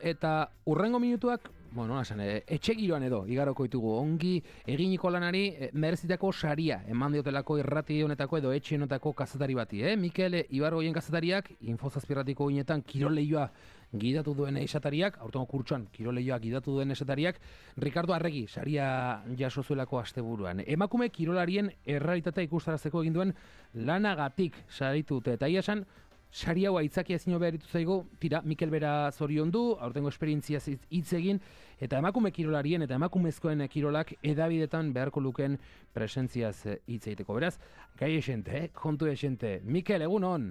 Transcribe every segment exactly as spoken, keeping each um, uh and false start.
Eta urrengo minutuak, bueno, esan, etxe giroan edo, igaroko ditugu, ongi eginiko lanari e, merezitako saria, eman diotelako irrati honetako edo etxe honetako kazetari bati, eh? Mikel Ibargoien kazetariak, Infozazpirratiko ginetan kiroleioa gidatu duen esatariak, aurtengo kurtsuan kiroleioa gidatu duen esatariak, Ricardo Arregi saria jaso zuelako asteburuan. Emakume kirolarien errealitatea ikustarazteko egin duen lanagatik saritu dute, eta ia esan, sari hau aitzakia ezin hobea eritu zaigu, tira, Mikel bera zoriondu, aurtengo esperientziaz hitz egin, eta emakume kirolarien eta emakumezkoen kirolak edabidetan beharko luken presentziaz hitz egiteko. Beraz, gai esente, eh? Kontu esente. Mikel, egun hon?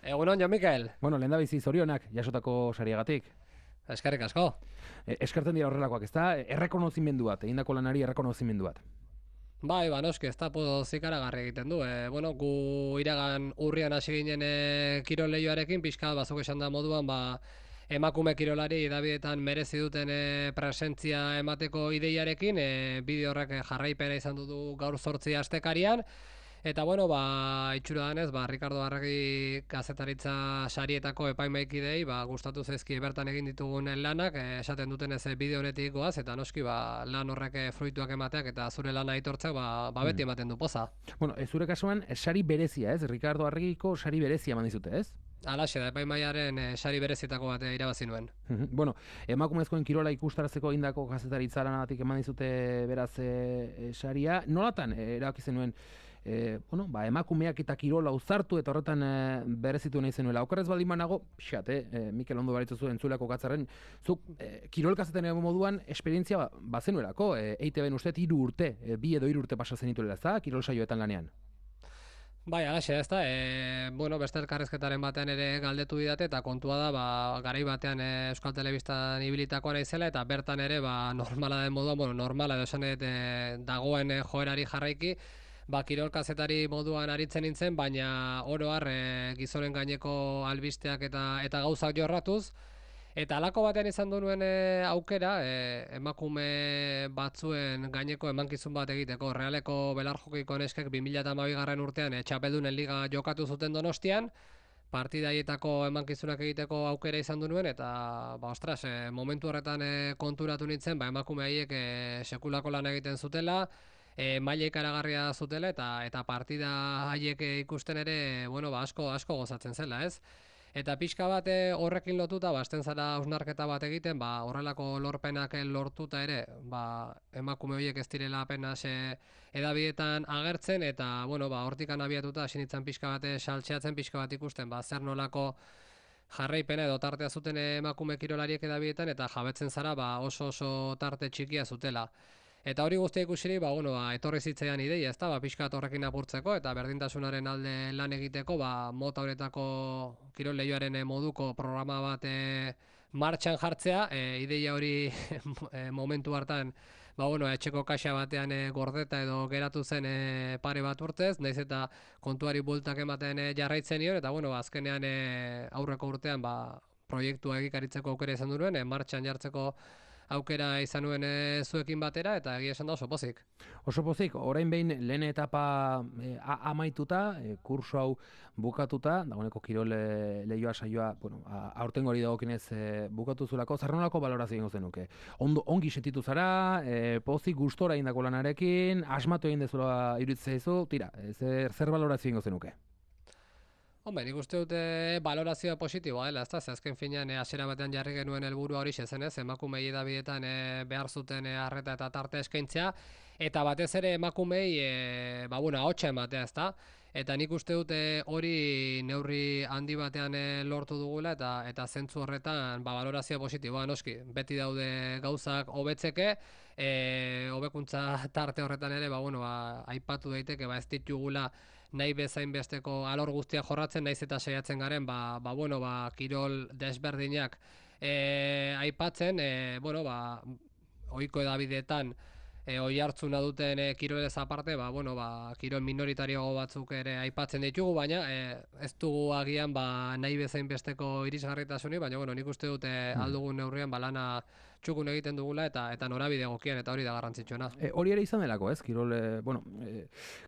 Egun hon, jo, Mikel. Bueno, lehen da bizi zorionak, jasotako sariagatik. Eskerrik asko. E, eskertzen dira horrelakoak, ez da? Errekonozimendu bat, egindako lanari errekonozimendu bat. Bai, ba, noski, ez da poz ikaragarri egiten du. E, bueno, gu iragan urrian hasi ginen e, kirol lehioarekin, pixka bazuk esan da moduan, ba, emakume kirolari edabidetan merezi duten e, presentzia emateko ideiarekin, e, bideo horrek jarraipena izan du gaur zortzi astekarian. Eta bueno, ba, itxura danez, ba, Ricardo Arregi kazetaritza sarietako epaimaikidei, ba, gustatu zaizki bertan egin ditugun lanak, eh, esaten duten ez bideo honetik goaz, eta noski, ba, lan horrek fruituak emateak eta zure lana aitortzak, ba, ba beti ematen du poza. Bueno, ez zure kasuan, sari berezia, ez? Ricardo Arregiko sari berezia eman dizute, ez? Alaxe da, epaimaiaren e, sari berezietako bat irabazi nuen. Bueno, emakumezkoen kirola ikustarazteko egindako kazetaritza lanagatik eman dizute beraz e, e, saria. Nolatan, e, erabaki zenuen, e, bueno, ba, emakumeak eta kirola uzartu eta horretan e, berezitu nahi zenuela. Okerrez baldin banago, pixat, eh, Mikel ondo baritzu zuen entzuleko katzarren, zuk e, kirol kazeten moduan esperientzia ba, bazenuelako, e, E I T B-en uste hiru urte, e, bi edo hiru urte pasa zenituela, ez da, kirol saioetan lanean? Bai, alaxe, ez da, e, bueno, beste elkarrezketaren batean ere galdetu didate, eta kontua da, ba, garai batean e, Euskal Telebistan ibilitakoa naizela, eta bertan ere, ba, normala den moduan, bueno, normala edo esan dut, e, dagoen e, joerari jarraiki, ba, kirol kazetari moduan aritzen nintzen, baina oro har e, gizonen gaineko albisteak eta, eta gauzak jorratuz, eta alako batean izan duen e, aukera, e, emakume batzuen gaineko emankizun bat egiteko. Realeko belarjokiko neskek bi mila hamabi garren urtean e, txapeldunen liga jokatu zuten Donostian, partidaietako emankizunak egiteko aukera izan duen, eta ba, ostras, e, momentu horretan e, konturatu nintzen, ba, emakume haiek e, sekulako lan egiten zutela, e, maila ikaragarria zutela, eta eta partida haiek ikusten ere, bueno, ba, asko, asko gozatzen zela, ez? Eta pixka bat horrekin lotuta, ba, esten zara hausnarketa bat egiten, ba, horrelako lorpenak lortuta ere, ba, emakume horiek ez direla apenas e, edabietan agertzen, eta, bueno, ba, hortikan abiatuta hasi nintzen pixka bat saltxeatzen, pixka bat ikusten, ba, zer nolako jarraipena edo tartea zuten emakume kirolariek edabietan, eta jabetzen zara, ba, oso oso tarte txikia zutela. Eta hori guztia ikusiri, ba, bueno, ba, etorri zitzaidan ideia, ezta, ba, pixkat horrekin apurtzeko eta berdintasunaren alde lan egiteko, ba, mota honetako kirol lehioaren moduko programa bat e, martxan jartzea, e, ideia hori e, momentu hartan, ba, bueno, etxeko kaxa batean e, gordeta edo geratu zen e, pare bat urtez, naiz eta kontuari bueltak ematen e, jarraitzen nion, eta, bueno, azkenean e, aurreko urtean, ba, proiektua egikaritzeko aukera izan duen, e, martxan jartzeko aukera izan nuen e, zuekin batera, eta egia esan da oso pozik. Oso pozik, orain behin lehen etapa e, amaituta, e, kurso hau bukatuta, dagoeneko kirol e, lehioa saioa, bueno, a, aurtengo hori dagokinez e, bukatu zulako, zarronako balorazio egingo zenuke. Ondo, ongi sentitu zara, e, pozik gustora egindako lanarekin, asmatu egin dezula iruditzen zaizu, tira, e, zer, zer balorazio egingo zenuke? Hombre, nik uste dute balorazioa positiboa dela, ezta? Ze azken finean hasiera batean jarri genuen helburua hori zenez, emakumei edabietan e, behar zuten e, arreta eta tarte eskaintzea, eta batez ere emakumei e, ba bueno, ahotsa ematea, ezta? Eta nik uste dute hori neurri handi batean e, lortu dugula, eta eta zentzu horretan ba balorazioa positiboa, noski. Beti daude gauzak hobetzeke, e, hobekuntza tarte horretan ere, ba bueno, ba aipatu daiteke, ba ez ditugula nahi bezain besteko alor guztia jorratzen, naiz eta saiatzen garen, ba, ba, bueno, ba, kirol desberdinak e, aipatzen, e, bueno, ba, ohiko edabideetan e, oi hartzuna duten e, kirolez aparte, ba, bueno, ba, kirol minoritario batzuk ere aipatzen ditugu, baina e, ez dugu agian ba, nahi bezain besteko irisgarritasuni, baina bueno, nik uste dute hmm. aldugun neurrian ba, lana txukun egiten dugula eta eta norabide egokian, eta hori da garrantzitsuena. E, hori ere izan delako, ez? Kirol, e, bueno, e,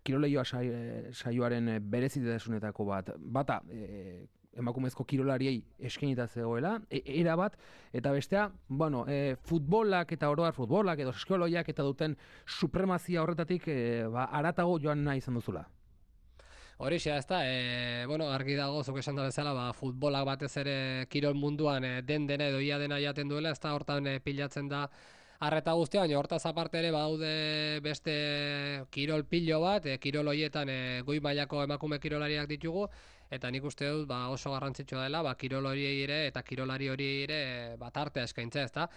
kirol lehioa sai, saioaren berezitasunetako bat. Bata, e, emakumezko kirolariei eskenita zegoela, e, era bat, eta bestea, bueno, e, futbolak eta oroar futbolak edo eskoloiak eta duten supremazia horretatik e, ba, aratago joan nahi izan duzula. Horixe, ez da, e, bueno, argi dago, zuk esan da bezala, ba, futbolak batez ere kirol munduan e, den dena edo ia dena jaten duela, ez da, hortan e, pilatzen da arreta guztia, baina hortaz aparte ere badaude beste kirol pilo bat, e, kirol hoietan e, goi mailako emakume kirolariak ditugu, eta nik uste dut ba, oso garrantzitsua dela, ba, kirol hori ere eta kirolari hori ere bat artea eskaintza, ez da.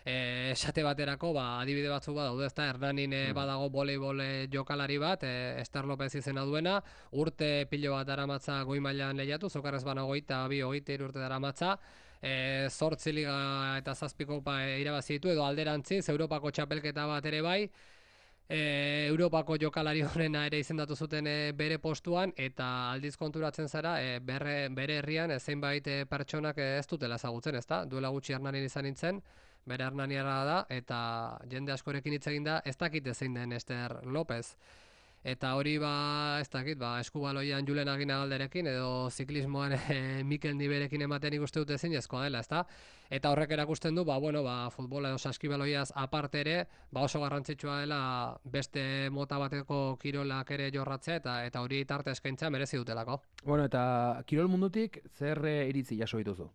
E, esate baterako, ba, adibide batzuk badaude, ez da, Hernanin e, badago voleibol jokalari bat, e, Ester Lopez izena duena, urte pilo bat daramatza goi mailan lehiatu, zokarrez bana hogeita, bi, hogeita hiru urte daramatza, e, zortzi liga eta zazpiko pa, e, irabazi ditu, edo alderantziz, Europako txapelketa bat ere bai, e, Europako jokalari honena ere izendatu zuten e, bere postuan, eta aldiz konturatzen zara, e, berre, bere herrian e, zeinbait e, pertsonak e, ez dutela ezagutzen, ez da? Duela gutxi Hernanin izan nintzen, bere Hernaniara da, eta jende askorekin hitz egin da, ez dakit zein den Ester Lopez. Eta hori ba, ez dakit, ba, eskubaloian Julen Aginagalderekin edo ziklismoan e, Mikel Niberekin ematen ikuste dute zinezkoa dela, ezta? Eta horrek erakusten du, ba, bueno, ba, futbola edo saskibaloiaz aparte ere, ba, oso garrantzitsua dela beste mota bateko kirolak ere jorratzea eta eta hori tarte eskaintza merezi dutelako. Bueno, eta kirol mundutik zer iritzi jaso dituzu?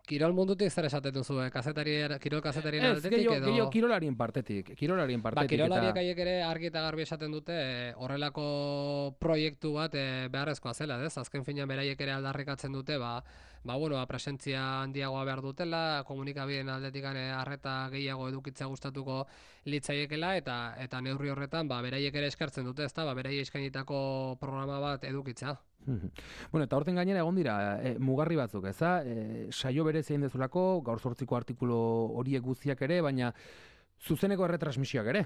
Kirol mundutik zer esaten duzu, eh? Kazetari, kirol kazetarien aldetik gehiago, edo... gehiago kirolarien partetik, kirolarien partetik. Ba, kirolariek eta... haiek ere argi eta garbi esaten dute eh, horrelako proiektu bat eh, beharrezkoa zela, ez? Azken finean beraiek ere aldarrikatzen dute, ba, ba, bueno, ba, presentzia handiagoa behar dutela, komunikabideen aldetik arreta gehiago edukitzea gustatuko litzaiekela, eta eta neurri horretan, ba, beraiek ere eskartzen dute, ezta? Ba, beraiek eskainitako programa bat edukitzea. Bueno, eta horten gainera egon dira e, mugarri batzuk, eza? E, saio bere zein dezulako, gaur zortziko artikulu horiek guztiak ere, baina zuzeneko erretransmisioak ere.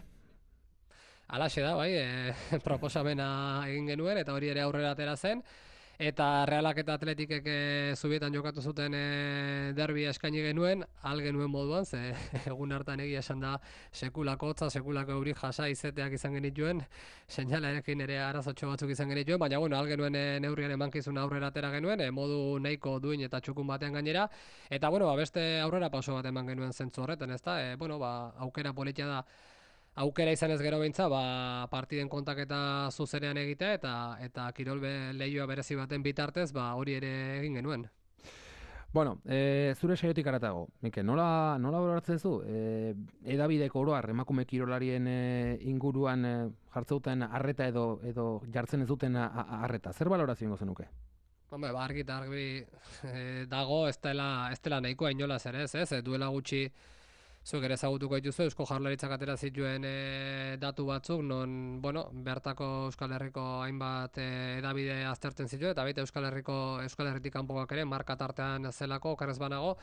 Halaxe da, bai, e, proposamena egin genuen, eta hori ere aurrera atera zen, eta Realak eta Atletikek e, zubietan jokatu zuten e, derbia eskaini genuen, al genuen moduan, ze egun hartan egia esan da sekulako hotza, sekulako euri jasa izeteak izan genituen, seinalarekin ere arazotxo batzuk izan genituen, baina bueno, al genuen e, neurrian emankizun aurrera atera genuen, e, modu nahiko duin eta txukun batean gainera, eta bueno, ba, beste aurrera pauso bat eman genuen zentzu horretan, ezta? E, bueno, ba, aukera politia da, aukera izan ez gero beintza, ba, partiden kontaketa zuzenean egitea eta eta kirol lehioa berezi baten bitartez, ba, hori ere egin genuen. Bueno, e, zure saiotik aratago, Mikel, nola, nola baloratzen zu? E, edabideko oroar emakume kirolarien e, inguruan e, jartzeuten arreta edo edo jartzen ez duten arreta. Zer balorazio ingo zenuke? Hombre, ba, argi eta argi e, dago ez dela, ez dela nahikoa inolaz ere, ez, ez, duela gutxi zuek ere ezagutuko dituzu, Eusko Jaurlaritzak atera zituen e, datu batzuk, non, bueno, bertako Euskal Herriko hainbat e, edabide aztertzen zituen, eta baita Euskal Herriko Euskal Herritik kanpoak ere marka tartean zelako, okerrez banago,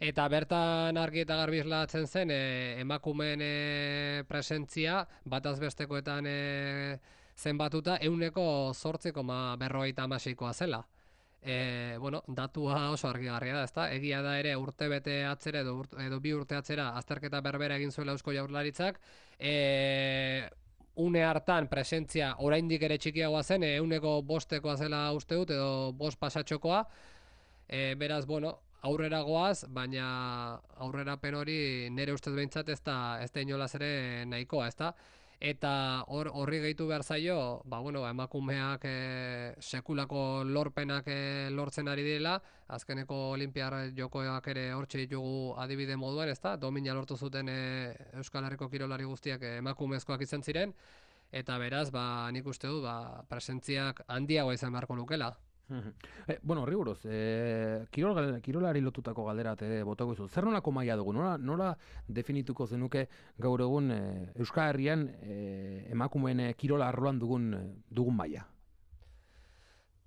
eta bertan argi eta garbi islatzen zen e, emakumeen e, presentzia bataz bestekoetan e, zenbatuta ehuneko zortzi koma berrogeita hamaseikoa zela. E, bueno, datua oso argigarria da, ezta? Egia da ere urte bete atzera edo, urte, edo bi urte atzera azterketa berbera egin zuela Eusko Jaurlaritzak, e, une hartan presentzia oraindik ere txikiagoa zen, ehuneko bostekoa zela uste dut, edo bost pasatxokoa, e, beraz, bueno, aurrera goaz, baina aurrerapen hori nire ustez behintzat ez da, ez da inolaz ere nahikoa, ezta? Eta hor horri gehitu behar zaio, ba, bueno, emakumeak e, sekulako lorpenak e, lortzen ari direla, azkeneko olimpiar jokoak ere hortxe ditugu adibide moduan, ezta? Domina lortu zuten e, Euskal Herriko kirolari guztiak e, emakumezkoak izan ziren, eta beraz, ba, nik uste du, ba, presentziak handiagoa izan beharko lukela. E, bueno, horri buruz, e, kirol, kirolari lotutako galdera e, botako izu. Zer nolako maila dugu? Nola, nola definituko zenuke gaur egun e, Euskal Herrian e, emakumeen kirola arloan dugun, dugun maila?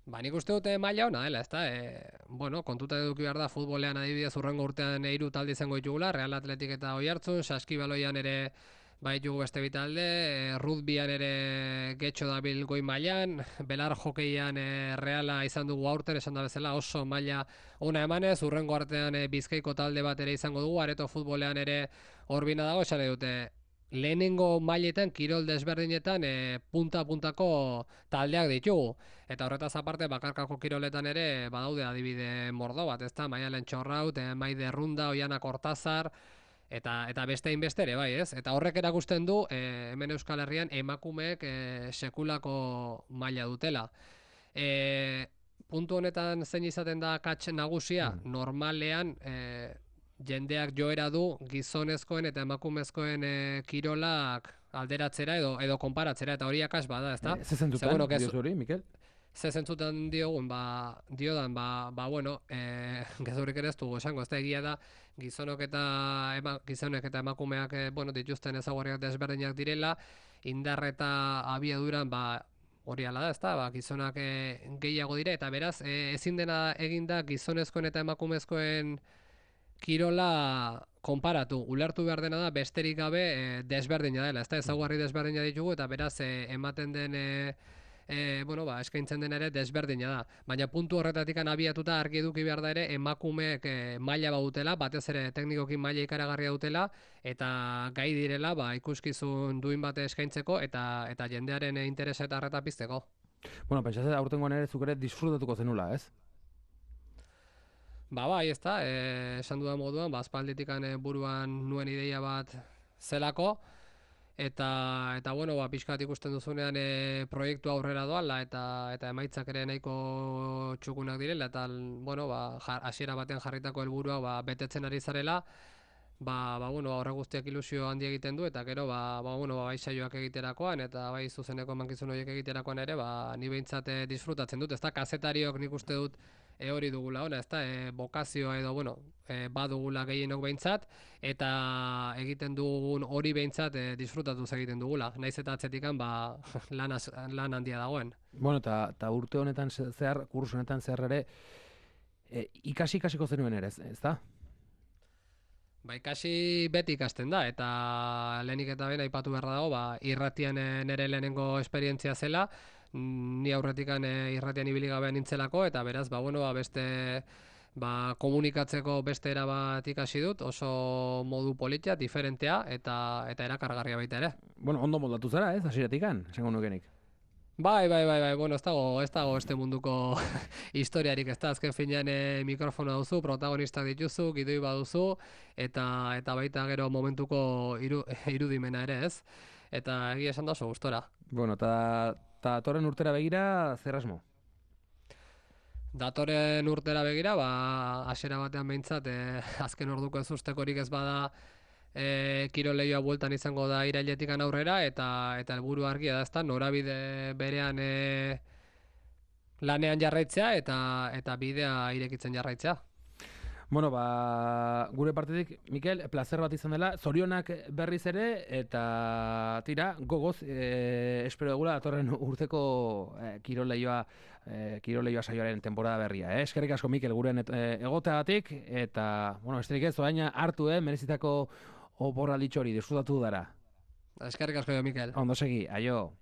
Ba, nik uste dute maila hona dela, ezta? E, bueno, kontuta eduki behar da futbolean adibidez urrengo urtean hiru talde izango ditugula, Real Atletik eta Oiartzun, saskibaloian ere bai dugu beste bitalde, e, rugbyan ere getxo dabil goi mailan, belar jokeian e, Reala izan dugu aurten, esan da bezala oso maila ona emanez, urrengo artean e, Bizkaiko talde bat ere izango dugu, Areto futbolean ere horbina dago, esan dute lehenengo mailetan, kirol desberdinetan, e, punta-puntako taldeak ditugu. Eta horretaz aparte, bakarkako kiroletan ere, badaude adibide mordo bat, ezta? Maialen Txorraut, e, Maide Runda, Oiana Kortazar, eta eta beste hainbeste ere, bai, ez? Eta horrek erakusten du, e, hemen Euskal Herrian, emakumeek e, sekulako maila dutela. E, puntu honetan zein izaten da akats nagusia, mm. normalean, e, jendeak joera du gizonezkoen eta emakumezkoen e, kirolak alderatzera edo edo konparatzera, eta hori akas bada, ezta? E, ze zentzutan, bueno, diozu hori, Mikel? Ze zentzutan diogun, ba, diodan, ba, ba bueno, e, gezurik ere ez dugu esango, ez da egia da, gizonok eta ema, gizonek eta emakumeak e, bueno, dituzten ezaugarriak desberdinak direla, indar eta abiaduran, ba, hori ala da, ezta? Ba, gizonak e, gehiago dire, eta beraz, e, ezin dena eginda gizonezkoen eta emakumezkoen kirola konparatu, ulertu behar dena da besterik gabe e, desberdina dela, ezta? Ezaugarri desberdina ditugu, eta beraz e, ematen den e, e, bueno, ba, eskaintzen den ere desberdina da. Baina puntu horretatik abiatuta argi eduki behar da ere emakumeek e, maila badutela, batez ere teknikokin maila ikaragarria dutela, eta gai direla ba, ikuskizun duin bate eskaintzeko eta eta jendearen interesa eta arreta pizteko. Bueno, pentsatzen aurtengoan ere zuk ere disfrutatuko zenula, ez? Ba, bai, ez da, e, esan dudan moduan, ba, aspalditikan e, buruan nuen ideia bat zelako, eta, eta bueno, ba, pixkat ikusten duzunean e, proiektu aurrera doala, eta eta emaitzak ere nahiko txukunak direla, eta, bueno, ba, hasiera batean jarritako helburua ba, betetzen ari zarela, ba, ba, bueno, horre guztiak ilusio handi egiten du, eta gero, ba, ba, bueno, ba, bai saioak egiterakoan, eta bai zuzeneko emankizun horiek egiterakoan ere, ba, ni behintzat disfrutatzen dut, ez da, kazetariok nik uste dut, E hori dugula ona, ezta, e, bokazioa edo, bueno, e, badugula gehienok behintzat, eta egiten dugun hori behintzat e, disfrutatuz egiten dugula. Naiz eta atzetikan, ba, lan, az, lan handia dagoen. Bueno, eta urte honetan zehar, kurso honetan zehar ere, e, ikasi ikasiko zenuen ere, ez da? Ba, ikasi beti ikasten da, eta lehenik eta ben aipatu beharra dago, ba, irratian nere lehenengo esperientzia zela, ni aurretikan e, irratian ibili gabe nintzelako, eta beraz, ba, bueno, ba, beste ba, komunikatzeko beste era bat ikasi dut, oso modu politia, diferentea, eta eta erakargarria baita ere. Bueno, ondo moldatu zara, ez, hasieratikan, esango nukenik. Bai, bai, bai, bai, bueno, ez dago, ez dago este munduko historiarik, ez da, azken finean e, mikrofono duzu, protagonista dituzu, gidoi baduzu, eta eta baita gero momentuko iru, irudimena ere, ez? Eta egia esan da oso gustora. Bueno, eta datorren urtera begira, zer asmo? Datorren urtera begira, ba, hasiera batean behintzat, e, azken orduko ez ustekorik ez bada, e, kirol lehioa bueltan izango da irailetikan aurrera, eta eta helburu argia da, ezta, norabide berean e, lanean jarraitzea, eta eta bidea irekitzen jarraitzea. Bueno, ba, gure partetik, Mikel, placer bat izan dela, zorionak berriz ere, eta tira, gogoz, e, espero dugula, datorren urteko e, kiroleioa, e, kiroleioa saioaren temporada berria. Eh? Eskerrik asko, Mikel, guren e, egoteagatik, eta, bueno, besterik ez, oaina hartu, eh, merezitako oporralditxo hori, disfrutatu dara. Eskerrik asko, Mikel. Ondo segi, aio.